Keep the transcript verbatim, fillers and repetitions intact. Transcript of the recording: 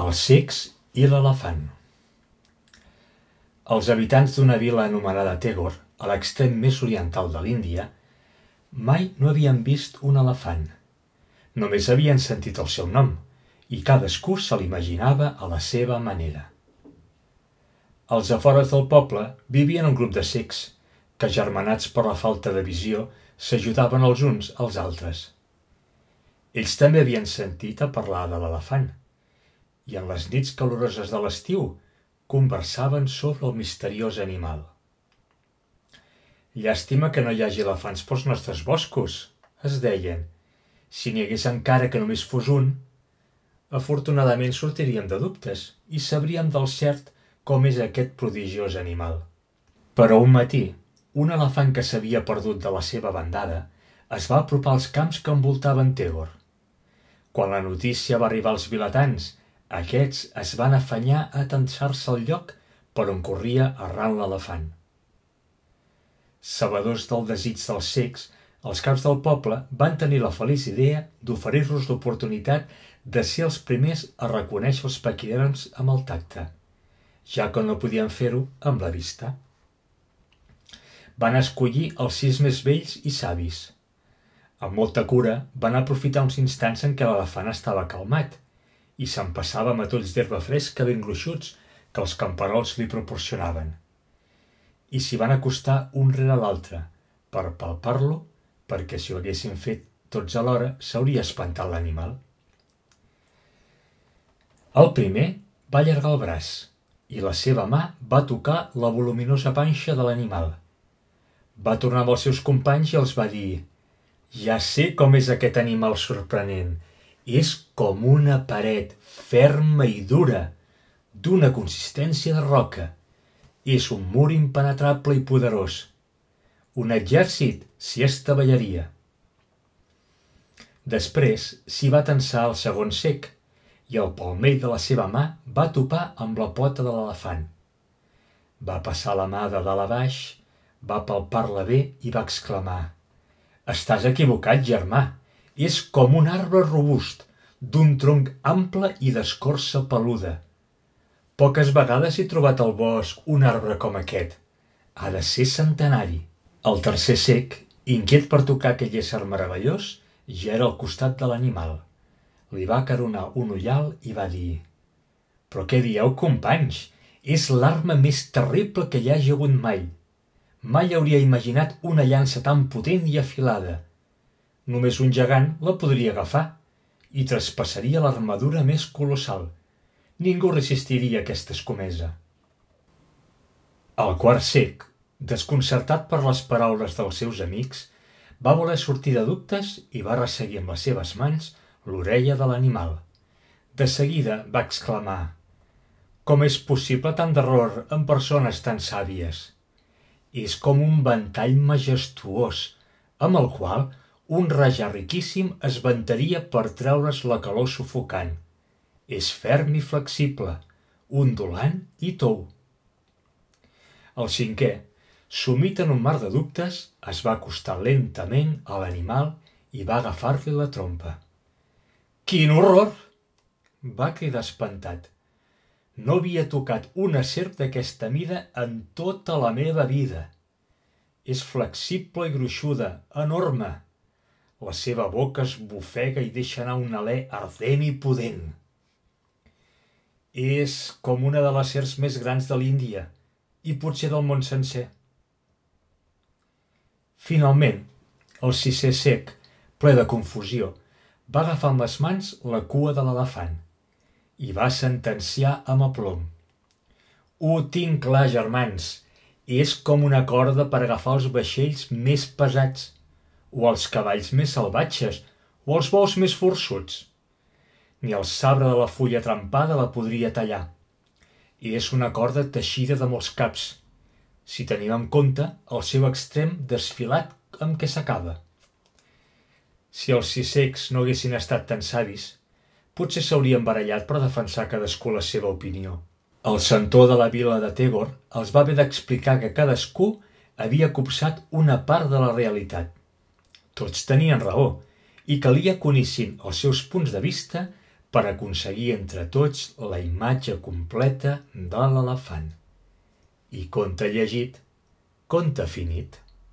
Els cecs i l'elefant. Els habitants d'una vila anomenada Tagore, a l'extrem més oriental de l'Índia, mai no havien vist un elefant. Només havien sentit el seu nom, i cadascú se l'imaginava a la seva manera. Als afores del poble vivien un grup de cecs, que, agermanats per la falta de visió, s'ajudaven els uns als altres. Ells també havien sentit a parlar de l'elefant, i en les nits caloroses de l'estiu conversaven sobre el misteriós animal. «Llàstima que no hi hagi elefants pels nostres boscos», es deien. «Si n'hi hagués encara que només fos un, afortunadament sortiríem de dubtes i sabríem del cert com és aquest prodigiós animal». Però un matí, un elefant que s'havia perdut de la seva bandada es va apropar als camps que envoltaven Tagore. Quan la notícia va arribar als vilatans, aquests es van afanyar a atansar-se al lloc per on corria arran l'elefant. Sabedors del desig dels cecs, els caps del poble van tenir la feliç idea d'oferir-los l'oportunitat de ser els primers a reconèixer els paquiderms amb el tacte, ja que no podien fer-ho amb la vista. Van escollir els sis més vells i savis. Amb molta cura van aprofitar uns instants en què l'elefant estava calmat i s'empassava matolls d'herba fresca ben gruixuts que els camperols li proporcionaven. I s'hi van acostar un rere l'altre per palpar-lo, perquè si ho haguessin fet tots alhora s'hauria espantat l'animal. El primer va allargar el braç i la seva mà va tocar la voluminosa panxa de l'animal. Va tornar amb els seus companys i els va dir: «Ja sé com és aquest animal sorprenent. És com una paret, ferma i dura, d'una consistència de roca. És un mur impenetrable i poderós. Un exèrcit s'hi estavellaria». Després s'hi va tensar el segon cec, i el palmell de la seva mà va topar amb la pota de l'elefant. Va passar la mà de dalt a baix, va palpar-la bé i va exclamar: «Estàs equivocat, germà. És com un arbre robust, d'un tronc ample i d'escorça peluda. Poques vegades he trobat al bosc un arbre com aquest. Ha de ser centenari». El tercer cec, inquiet per tocar aquell ésser meravellós, ja era al costat de l'animal. Li va acaronar un ullal i va dir: «Però què dieu, companys? És l'arma més terrible que hi hagi hagut mai. Mai hauria imaginat una llança tan potent i afilada. Només un gegant la podria agafar i traspassaria l'armadura més colossal. Ningú resistiria aquesta escomesa». El quart cec, desconcertat per les paraules dels seus amics, va voler sortir de dubtes i va resseguir amb les seves mans l'orella de l'animal. De seguida va exclamar: «Com és possible tant d'error en persones tan sàvies? És com un ventall majestuós, amb el qual un rajà riquíssim es vantaria per treure's la calor sufocant. És ferm i flexible, ondulant i tou». El cinquè, sumit en un mar de dubtes, es va acostar lentament a l'animal i va agafar-li la trompa. «Quin horror!», va cridar espantat. «No havia tocat una serp d'aquesta mida en tota la meva vida. És flexible i gruixuda, enorme. La seva boca es bufega i deixa anar un alè ardent i pudent. És com una de les serps més grans de l'Índia i potser del món sencer». Finalment, el sisè cec, ple de confusió, va agafar amb les mans la cua de l'elefant i va sentenciar amb aplom: «Ho tinc clar, germans. És com una corda per agafar els vaixells més pesats, o els cavalls més salvatges, o els bous més forçuts. Ni el sabre de la fulla trempada la podria tallar. És una corda teixida de molts caps, si tenim en compte el seu extrem desfilat amb què s'acaba». Si els sis cecs no haguessin estat tan savis, potser s'haurien barallat per defensar cadascú la seva opinió. El centó de la vila de Tagore els va haver d'explicar que cadascú havia copsat una part de la realitat. Tots tenien raó i calia que unissin els seus punts de vista per aconseguir entre tots la imatge completa de l'elefant. I conte llegit, conte finit.